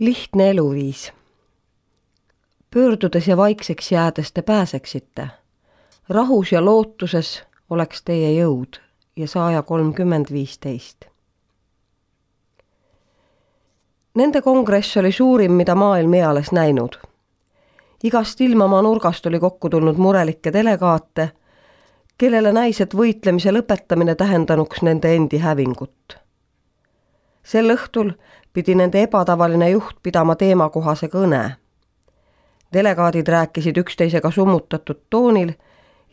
Lihtne eluviis. Pöördudes ja vaikseks jäädes te pääseksite. Rahus ja lootuses oleks teie jõud ja Saaja 30:15. Nende kongress oli suurim, mida maailm eales näinud. Igast ilmamaa nurgast oli kokku tulnud murelikke delegaate, kellele näis, et võitlemise lõpetamine tähendanuks nende endi hävingut. Sel õhtul pidi nende ebatavaline juht pidama teemakohase kõne. Delegaadid rääkisid üksteisega summutatud toonil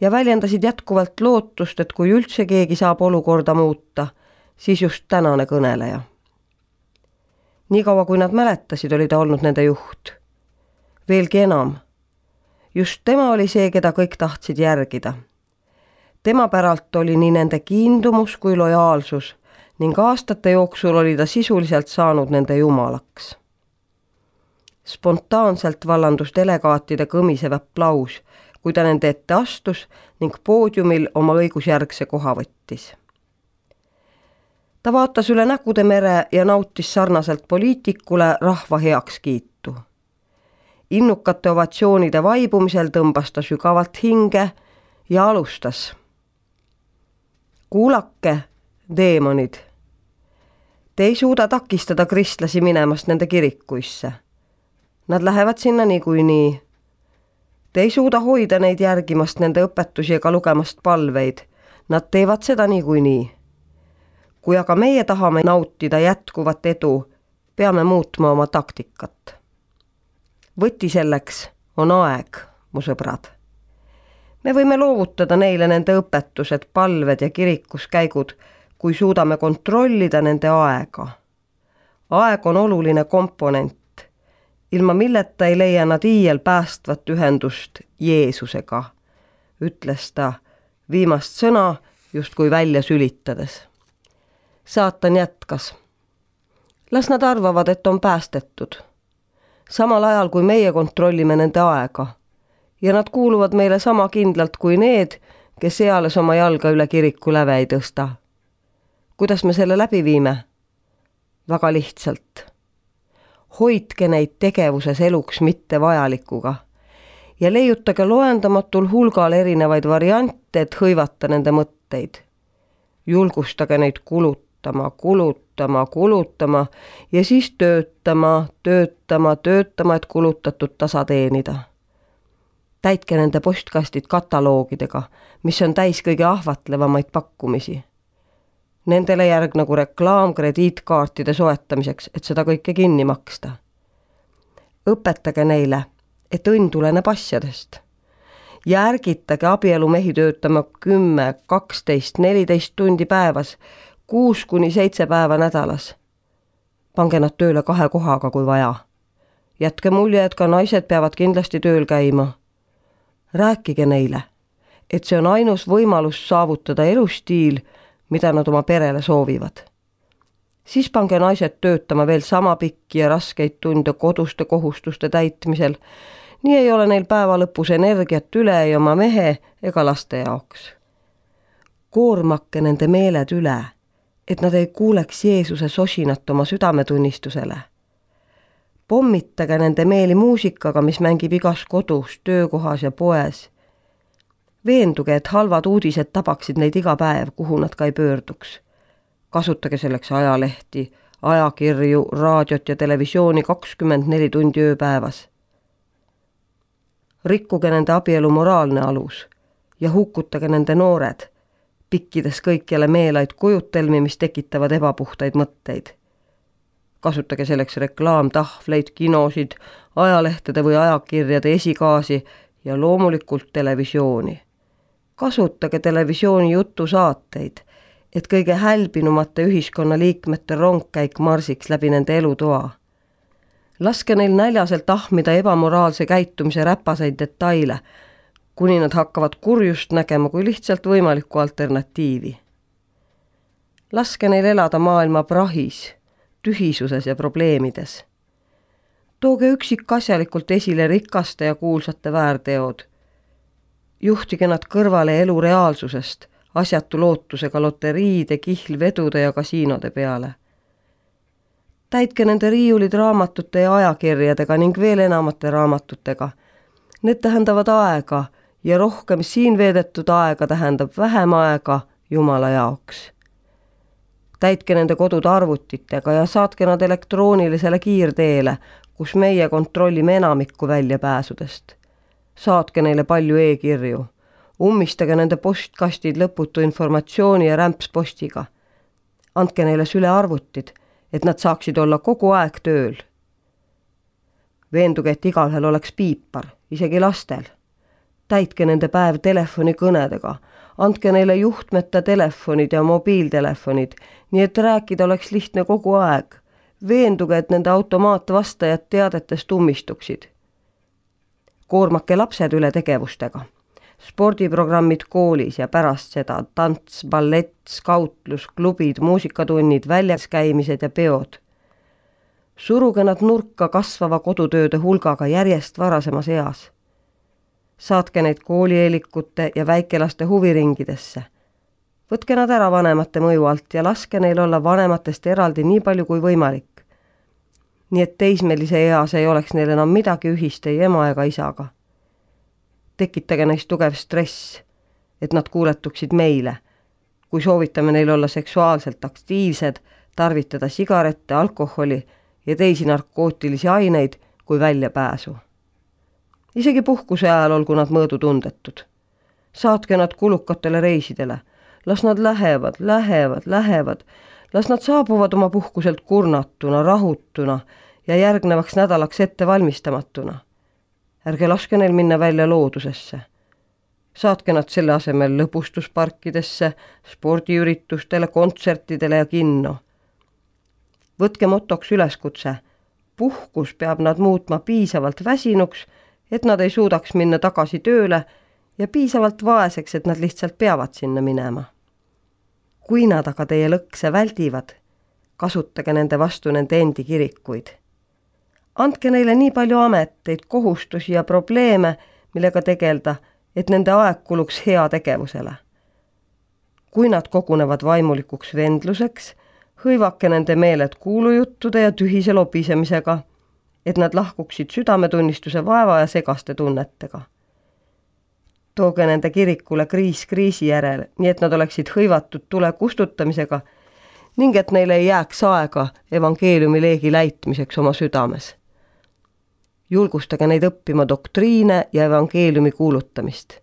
ja väljendasid jätkuvalt lootust, et kui üldse keegi saab olukorda muuta, siis just tänane kõneleja. Niikaua kui nad mäletasid, oli ta olnud nende juht. Veelgi enam, just tema oli see, keda kõik tahtsid järgida. Tema päralt oli nii nende kiindumus kui lojaalsus ning aastate jooksul oli ta sisuliselt saanud nende jumalaks. Spontaanselt vallandus delegaatide kõmisev aplaus, kui ta nende ette astus ning poodiumil oma õigusjärgse koha võttis. Ta vaatas üle näkude mere ja nautis sarnaselt poliitikule rahva heakskiitu. Innukate ovatsioonide vaibumisel tõmbas ta sügavalt hinge ja alustas. Kuulake, deemonid. Te ei suuda takistada kristlasi minemast nende kirikuisse. Nad lähevad sinna niikuinii. Te ei suuda hoida neid järgimast nende õpetusi ega lugemast palveid. Nad teevad seda niikuinii. Kui aga meie tahame nautida jätkuvat edu, peame muutma oma taktikat. Võti selleks on aeg, mu sõbrad. Me võime loovutada neile nende õpetused, palved ja kirikuskäigud, kui suudame kontrollida nende aega. Aeg on oluline komponent, ilma milleta ei leia nad iial päästvat ühendust Jeesusega, ütles ta viimast sõna justkui välja sülitades. Saatan jätkas. Las nad arvavad, et on päästetud. Samal ajal kui meie kontrollime nende aega ja nad kuuluvad meile sama kindlalt kui need, kes eales oma jalga üle kiriku läve ei tõsta. Kuidas me selle läbi viime? Väga lihtsalt. Hoidke neid tegevuses eluks mitte vajalikuga ja leiutage loendamatul hulgal erinevaid variante, et hõivata nende mõtteid. Julgustage neid kulutama ja siis töötama, et kulutatud tasa teenida. Täitke nende postkastid kataloogidega, mis on täis kõige ahvatlevamaid pakkumisi. Nendele järgnagu reklaam krediitkaartide soetamiseks, et seda kõike kinni maksta. Õpetage neile, et õnn tuleneb asjadest. Ja ärgitage abielumehi töötama 10, 12, 14 tundi päevas, 6-7 päeva nädalas. Pange nad tööle 2 kohaga, kui vaja. Jätke mulje, et ka naised peavad kindlasti tööl käima. Rääkige neile, et see on ainus võimalus saavutada elustiil, mida nad oma perele soovivad. Siis pange naised töötama veel sama pikki ja raskeid tunde koduste kohustuste täitmisel. Nii ei ole neil päeva lõpus energiat üle ei oma mehe ega laste jaoks. Koormakke nende meeled üle, et nad ei kuuleks Jeesuse sosinat oma südametunnistusele. Pommitage nende meeli muusikaga, mis mängib igas kodus, töökohas ja poes. Veenduge, et halvad uudised tabaksid neid iga päev, kuhu nad ka ei pöörduks. Kasutage selleks ajalehti, ajakirju, raadiot ja televisiooni 24 tundi ööpäevas. Rikkuge nende abielu moraalne alus ja hukutage nende noored, pikkides kõikjale meelaid kujutelmi, mis tekitavad ebapuhtaid mõtteid. Kasutage selleks reklaamtahvleid, kinosid, ajalehtede või ajakirjade esikaasi ja loomulikult televisiooni. Kasutage televisiooni jutusaateid, et kõige hälbinumate ühiskonnaliikmete rongkäik marsiks läbi nende elutoa. Laske neil näljaselt ahmida ebamoraalse käitumise räpaseid detaile, kuni nad hakkavad kurjust nägema kui lihtsalt võimalikku alternatiivi. Laske neil elada maailma prahis, tühisuses ja probleemides. Tooge üksikasjalikult esile rikaste ja kuulsate väärteod. Juhtige nad kõrvale elu reaalsusest, asjatu lootusega loteriide, kihlvedude ja kasiinode peale. Täitke nende riiulid raamatute ja ajakirjadega ning veel enamate raamatutega. Need tähendavad aega ja rohkem siin veedetud aega tähendab vähem aega Jumala jaoks. Täitke nende kodud arvutitega ja saatke nad elektroonilisele kiirteele, kus meie kontrollime enamikku väljapääsudest. Saatke neile palju e-kirju. Ummistage nende postkastid lõputu informatsiooni ja rämpspostiga. Andke neile sülearvutid, et nad saaksid olla kogu aeg tööl. Veenduge, et igalühel oleks piipar, isegi lastel. Täitke nende päev telefonikõnedega. Andke neile juhtmeta telefonid ja mobiiltelefonid, nii et rääkida oleks lihtne kogu aeg. Veenduge, et nende automaatvastajad teadetest ummistuksid. Koormake lapsed üle tegevustega. Spordiprogrammid koolis ja pärast seda tants, ballett, skautlus, klubid, muusikatunnid, väljas käimised ja peod. Suruge nad nurka kasvava kodutööde hulgaga järjest varasemas eas. Saatke neid koolieelikute ja väikelaste huviringidesse. Võtke nad ära vanemate mõju alt ja laske neil olla vanematest eraldi nii palju kui võimalik. Nii et teismelise eas ei oleks neil enam midagi ühist ei ema ega isaga. Tekitage neist tugev stress, et nad kuuletuksid meile, kui soovitame neil olla seksuaalselt aktiivsed, tarvitada sigarette, alkoholi ja teisi narkootilisi aineid kui väljapääsu. Isegi puhkuse ajal olgu nad mõõdutundetud. Saatke nad kulukatele reisidele. Las nad lähevad. Las nad saabuvad oma puhkuselt kurnatuna, rahutuna ja järgnevaks nädalaks ette valmistamatuna. Ärge laske neil minna välja loodusesse. Saatke nad selle asemel lõbustusparkidesse, spordiüritustele, kontsertidele ja kinno. Võtke motoks üleskutse. Puhkus peab nad muutma piisavalt väsinuks, et nad ei suudaks minna tagasi tööle ja piisavalt vaeseks, et nad lihtsalt peavad sinna minema. Kui nad aga teie lõkse väldivad, kasutage nende vastu nende endi kirikuid. Andke neile nii palju ameteid, kohustusi ja probleeme, millega tegelda, et nende aeg kuluks hea tegevusele. Kui nad kogunevad vaimulikuks vendluseks, hõivake nende meeled kuulujuttude ja tühise lobisemisega, et nad lahkuksid südametunnistuse vaeva ja segaste tunnetega. Tooge nende kirikule kriis kriisi järel, nii et nad oleksid hõivatud tule kustutamisega ning et neile ei jääks aega evangeeliumi leegi läitmiseks oma südames. Julgustage neid õppima doktriine ja evangeeliumi kuulutamist.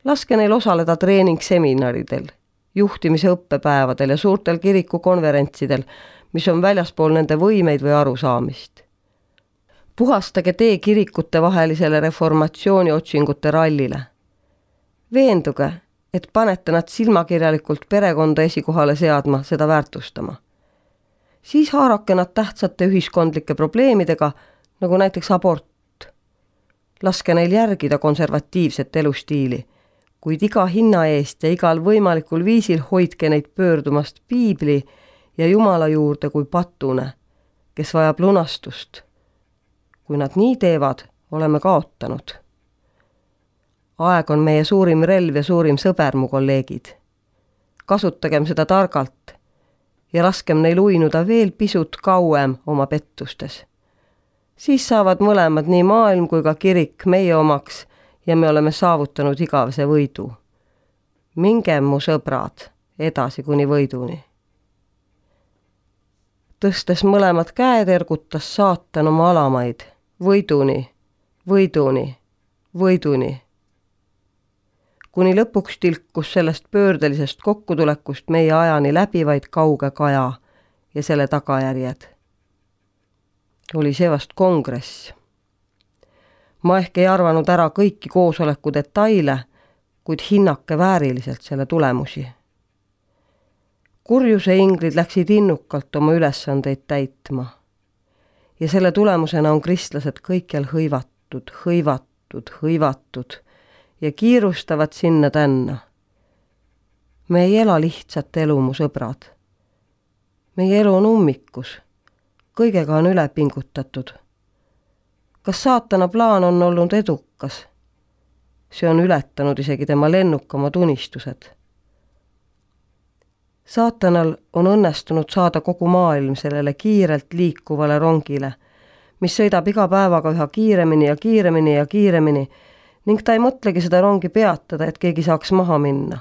Laske neil osaleda treeningseminaridel, juhtimise õppepäevadel ja suurtel kirikukonverentsidel, mis on väljaspool nende võimeid või arusaamist. Puhastage tee kirikute vahelisele reformatsiooni otsingute rallile. Veenduge, et panete nad silmakirjalikult perekonda esikohale seadma, seda väärtustama. Siis haarake nad tähtsate ühiskondlike probleemidega, nagu näiteks abort. Laske neil järgida konservatiivset elustiili, kuid iga hinna eest ja igal võimalikul viisil hoidke neid pöördumast piibli ja Jumala juurde kui patune, kes vajab lunastust. Kui nad nii teevad, oleme kaotanud. Aeg on meie suurim relv ja suurim sõber, mu kolleegid. Kasutagem seda targalt ja laskem neil uinuda veel pisut kauem oma pettustes. Siis saavad mõlemad, nii maailm kui ka kirik, meie omaks ja me oleme saavutanud igavese võidu. Mingem, mu sõbrad, edasi kuni võiduni. Tõstes mõlemad käed ergutas saatan oma alamaid. Võiduni, võiduni, võiduni. Kuni lõpuks tilkus sellest pöördelisest kokkutulekust meie ajani läbivaid kauge kaja ja selle tagajärjed. Oli see vast kongress. Ma ehk ei arvanud ära kõiki koosoleku detaile, kuid hinnake vääriliselt selle tulemusi. Kurjuse inglid läksid innukalt oma ülesandeid täitma. Ja selle tulemusena on kristlased kõikjal hõivatud ja kiirustavad sinna tänna. Me ei ela lihtsat elu, mu sõbrad. Meie elu on ummikus. Kõigega on üle pingutatud. Kas saatana plaan on olnud edukas? See on ületanud isegi tema lennukamad unistused. Saatanal on õnnestunud saada kogu maailm sellele kiirelt liikuvale rongile, mis sõidab iga päevaga üha kiiremini ja kiiremini ja kiiremini ning ta ei mõtlegi seda rongi peatada, et keegi saaks maha minna.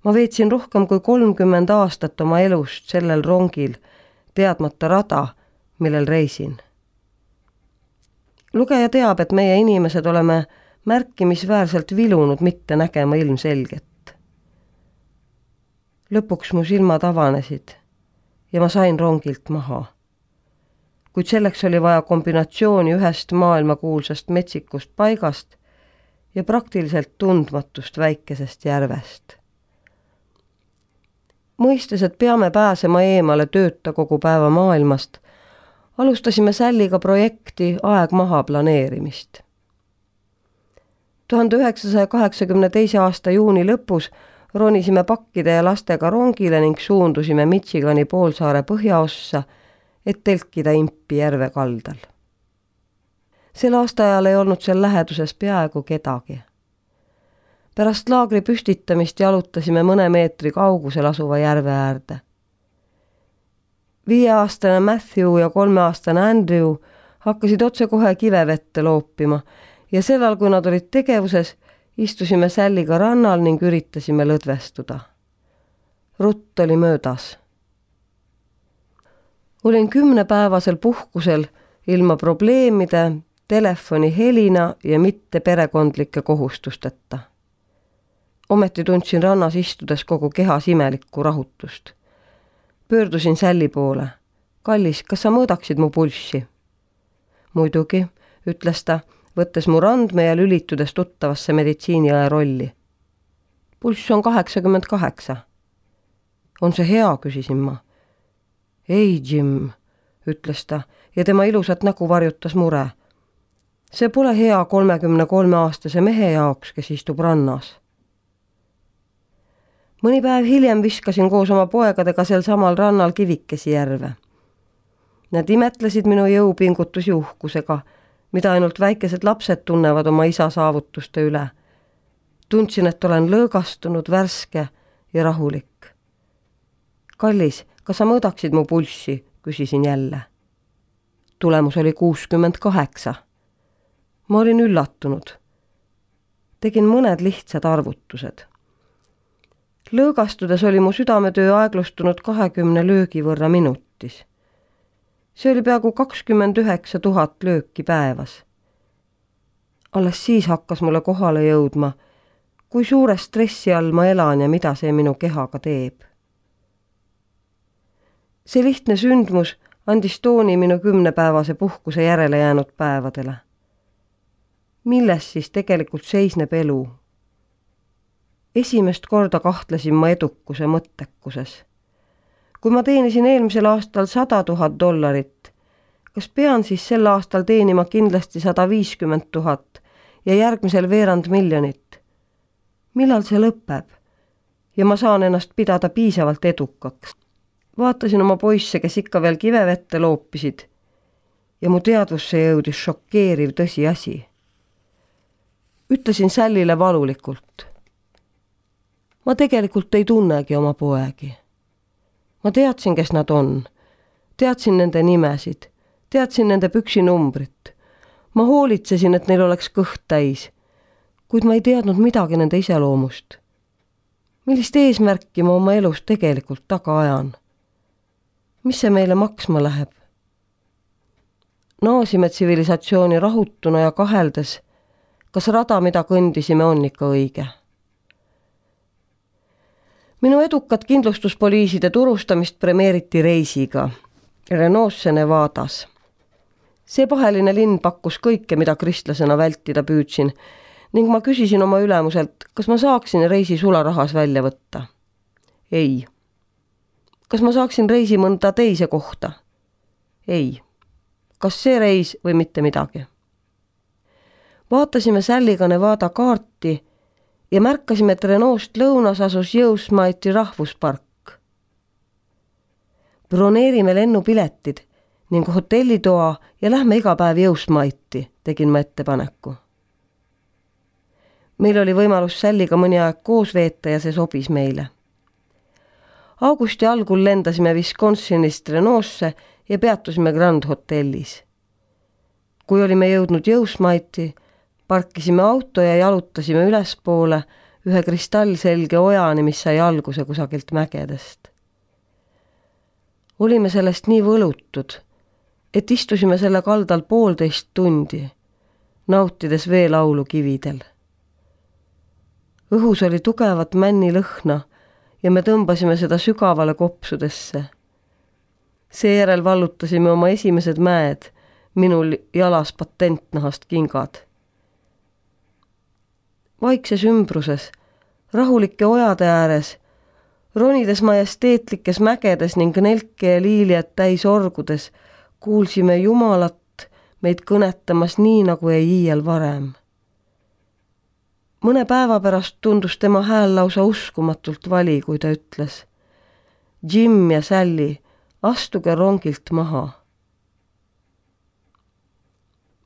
Ma veetsin rohkem kui 30 aastat oma elust sellel rongil, teadmata rada, millel reisin. Lugeja teab, et meie inimesed oleme märkimisväärselt vilunud mitte nägema ilmselget. Lõpuks mu silmad avanesid ja ma sain rongilt maha. Kuid selleks oli vaja kombinatsiooni ühest maailmakuulsast metsikust paigast ja praktiliselt tundmatust väikesest järvest. Mõistes, et peame pääsema eemale tööta kogu päeva maailmast, alustasime Salliga projekti Aeg maha planeerimist. 1982. aasta juuni lõpus ronisime pakkide ja lastega rongile ning suundusime Michigani poolsaare põhjaossa, et telkida impi järve kaldal. Sel aastaajal ei olnud seal läheduses peaaegu kedagi. Pärast laagri püstitamist jalutasime mõne meetri kaugusel asuva järve äärde. 5-aastane Matthew ja 3-aastane Andrew hakkasid otsekohe kivevette loopima ja sellal, kui nad olid tegevuses, istusime Salliga rannal ning üritasime lõdvestuda. Rutt oli möödas. Olin 10-päevasel puhkusel ilma probleemide, telefoni helina ja mitte perekondlike kohustusteta. Ometi tundsin rannas istudes kogu kehas imelikku rahutust. Pöördusin Salli poole. Kallis, kas sa mõõdaksid mu pulssi? Muidugi, ütles ta, võttes mu randme ja lülitudes tuttavasse meditsiiniõe rolli. Pulss on 88. On see hea, küsisin ma. Ei, Jim, ütles ta ja tema ilusat nägu varjutas mure. See pole hea 33-aastase mehe jaoks, kes istub rannas. Mõni päev hiljem viskasin koos oma poegadega sel samal rannal kivikesi järve. Nad imetlesid minu jõupingutusi uhkusega, mida ainult väikesed lapsed tunnevad oma isa saavutuste üle. Tundsin, et olen lõõgastunud, värske ja rahulik. Kallis, kas sa mõõdaksid mu pulssi, küsisin jälle. Tulemus oli 68. Ma olin üllatunud. Tegin mõned lihtsad arvutused. Lõõgastudes oli mu südametöö aeglustunud 20 löögi võrra minutis. See oli peaaegu 29 000 lööki päevas. Alles siis hakkas mulle kohale jõudma, kui suure stressi all ma elan ja mida see minu kehaga teeb. See lihtne sündmus andis tooni minu 10-päevase puhkuse järele jäänud päevadele. Milles siis tegelikult seisneb elu? Esimest korda kahtlesin ma edukuse mõttekuses. Kui ma teenisin eelmisel aastal $100,000, kas pean siis sel aastal teenima kindlasti 150 000 ja järgmisel veerand miljonit? Millal see lõpeb? Ja ma saan ennast pidada piisavalt edukaks. Vaatasin oma poisse, kes ikka veel kivevette loopisid ja mu teadvusse jõudis šokeeriv tõsiasi. Ütlesin Sallile valulikult. Ma tegelikult ei tunnegi oma poegi. Ma teadsin, kes nad on. Teadsin nende nimesid. Teadsin nende püksinumbrit. Ma hoolitsesin, et neil oleks kõht täis. Kuid ma ei teadnud midagi nende iseloomust. Millist eesmärki ma oma elus tegelikult taga ajan? Mis see meile maksma läheb? Naasime tsivilisatsiooni rahutuna ja kaheldes, kas rada, mida kõndisime, on ikka õige. Minu edukat kindlustuspoliiside turustamist premeeriti reisiga Renosse Nevadas. See paheline linn pakkus kõike, mida kristlasena vältida püüdsin ning ma küsisin oma ülemuselt, kas ma saaksin reisi sularahas välja võtta. Ei. Kas ma saaksin reisi mõnda teise kohta? Ei. Kas see reis või mitte midagi? Vaatasime Salliga Nevada kaarti ja märkasime, et Renault lõunas asus Yosemite'i rahvuspark. Broneerime lennupiletid ning hotellitoa ja lähme iga päev Yosemite'i, tegin ma ettepaneku. Meil oli võimalus Salliga mõni aeg koos veeta ja see sobis meile. Augusti algul lendasime Wisconsinist Renosse ja peatusime Grand Hotellis. Kui olime jõudnud Jõusmaiti, parkisime auto ja jalutasime ülespoole ühe kristallselge ojani, mis sai alguse kusagilt mägedest. Olime sellest nii võlutud, et istusime selle kaldal 1,5 tundi, nautides veelaulu kividel. Õhus oli tugevat männilõhna ja me tõmbasime seda sügavale kopsudesse. Seejärel vallutasime oma esimesed mäed, minul jalas patentnahast kingad. Vaikses ümbruses, rahulike ojade ääres, ronides majesteetlikes mägedes ning nelke ja liiliat täis orgudes, kuulsime Jumalat meid kõnetamas nii, nagu ei iial varem. Mõne päeva pärast tundus tema hääl lausa uskumatult vali, kui ta ütles: Jim ja Sally, astuge rongilt maha.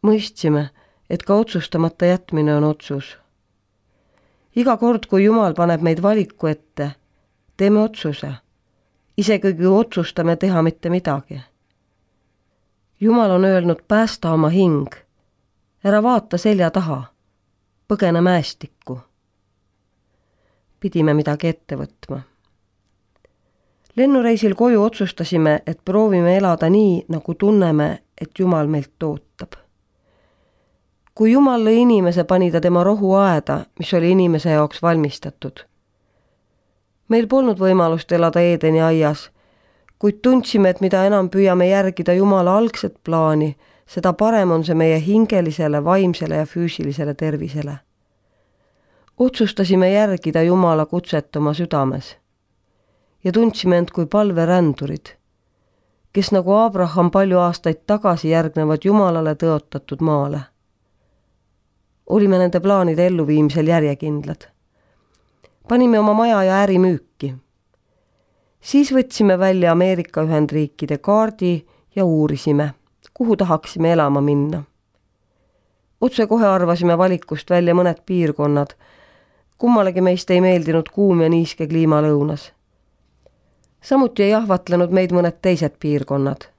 Mõistsime, et ka otsustamata jätmine on otsus. Iga kord, kui Jumal paneb meid valiku ette, teeme otsuse, isegi kui otsustame teha mitte midagi. Jumal on öelnud, päästa oma hing, ära vaata selja taha, põgene mäestikku. Pidime midagi ette võtma. Lennureisil koju otsustasime, et proovime elada nii, nagu tunneme, et Jumal meilt ootab. Kui Jumal lõi inimese, pani ta tema rohuaeda, mis oli inimese jaoks valmistatud. Meil polnud võimalust elada Eedeni aias, kuid tundsime, et mida enam püüame järgida Jumala algset plaani, seda parem on see meie hingelisele, vaimsele ja füüsilisele tervisele. Otsustasime järgida Jumala kutset oma südames ja tundsime end kui palverändurid, kes nagu Abraham palju aastaid tagasi järgnevad Jumalale tõotatud maale. Olime nende plaanide elluviimisel järjekindlad. Panime oma maja ja äri müüki. Siis võtsime välja Ameerika Ühendriikide kaardi ja uurisime, kuhu tahaksime elama minna. Otse kohe arvasime valikust välja mõned piirkonnad. Kummalegi meist ei meeldinud kuum ja niiske kliima lõunas. Samuti ei ahvatlenud meid mõned teised piirkonnad.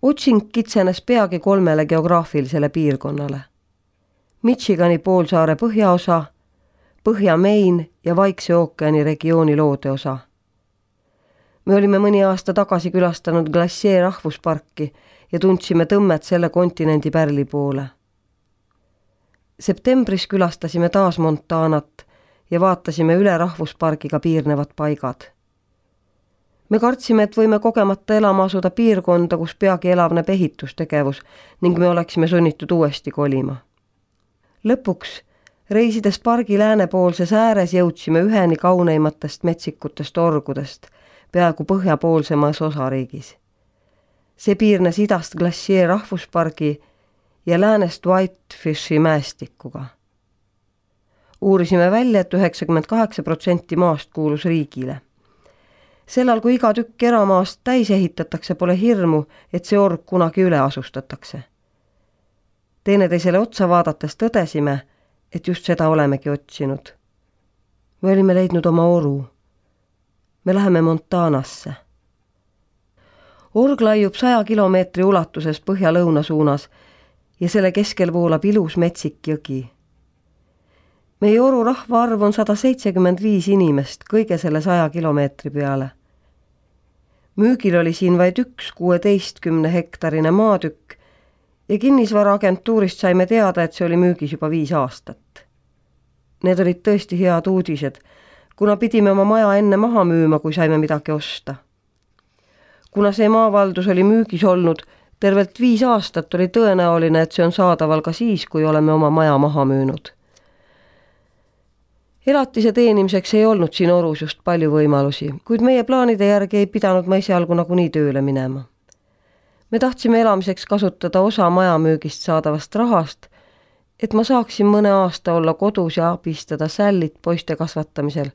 Otsing kitsenes peagi 3 geograafilisele piirkonnale. Michigani poolsaare põhjaosa, Põhja-Maine ja Vaikse ookeani regiooni loodeosa. Me olime mõni aasta tagasi külastanud Glacier rahvusparki ja tundsime tõmmet selle kontinendi pärli poole. Septembris külastasime taas Montanat ja vaatasime üle rahvuspargiga piirnevad paigad. Me kartsime, et võime kogemata elama asuda piirkonda, kus peagi elavneb ehitustegevus ning me oleksime sunnitud uuesti kolima. Lõpuks, reisides pargi läänepoolses ääres, jõudsime üheni kauneimatest metsikutest orgudest, peaaegu põhjapoolsemas osariigis. See piirnes idast Glacier rahvuspargi ja läänest Whitefishi mäestikuga. Uurisime välja, et 98% maast kuulus riigile. Sellal, kui iga tükk eramaast täis ehitatakse, pole hirmu, et see org kunagi üle asustatakse. Teineteisele otsa vaadates tõdesime, et just seda olemegi otsinud. Me olime leidnud oma oru. Me läheme Montanasse. Org laiub 100 kilomeetri ulatuses põhja-lõuna suunas ja selle keskel voolab ilus metsik jõgi. Meie oru rahvaarv on 175 inimest kõige selle 100 kilomeetri peale. Müügil oli siin vaid üks 16 hektarine maatükk ja kinnisvaraagentuurist saime teada, et see oli müügis juba 5 aastat. Need olid tõesti head uudised, kuna pidime oma maja enne maha müüma, kui saime midagi osta. Kuna see maavaldus oli müügis olnud tervelt 5 aastat, oli tõenäoline, et see on saadaval ka siis, kui oleme oma maja maha müünud. Elatise teenimiseks ei olnud siin orus just palju võimalusi, kuid meie plaanide järgi ei pidanud ma esialgu nagunii tööle minema. Me tahtsime elamiseks kasutada osa majamüügist saadavast rahast, et ma saaksin mõne aasta olla kodus ja abistada Sallyt poiste kasvatamisel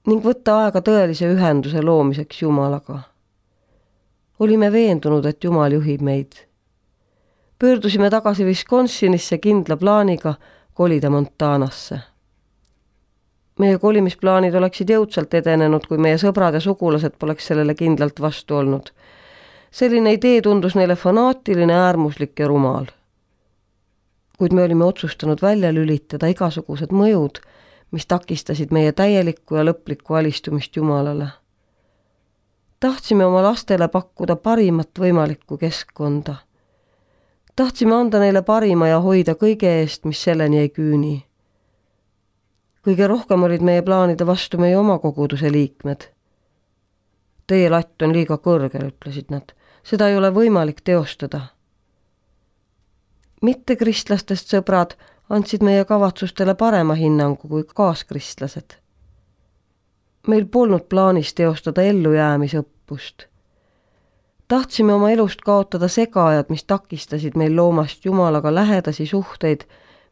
ning võtta aega tõelise ühenduse loomiseks Jumalaga. Olime veendunud, et Jumal juhib meid. Pöördusime tagasi Wisconsinisse kindla plaaniga kolida Montanasse. Meie kolimisplaanid oleksid jõudsalt edenenud, kui meie sõbrad ja sugulased poleks sellele kindlalt vastu olnud. Selline idee tundus neile fanaatiline, äärmuslik ja rumal. Kuid me olime otsustanud välja lülitada igasugused mõjud, mis takistasid meie täielikku ja lõplikku alistumist Jumalale. Tahtsime oma lastele pakkuda parimat võimalikku keskkonda. Tahtsime anda neile parima ja hoida kõige eest, mis selleni ei küüni. Kõige rohkem olid meie plaanide vastu meie oma koguduse liikmed. Teie latt on liiga kõrgel, ütlesid nad. Seda ei ole võimalik teostada. Mittekristlastest sõbrad andsid meie kavatsustele parema hinnangu kui kaaskristlased. Meil polnud plaanis teostada ellujäämisõppust. Tahtsime oma elust kaotada segajad, mis takistasid meil loomast Jumalaga lähedasi suhteid,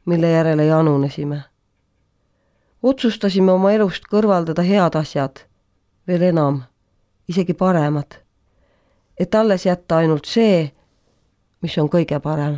mille järele janunesime. Otsustasime oma elust kõrvaldada head asjad, veel enam, isegi paremad, et alles jätta ainult see, mis on kõige parem.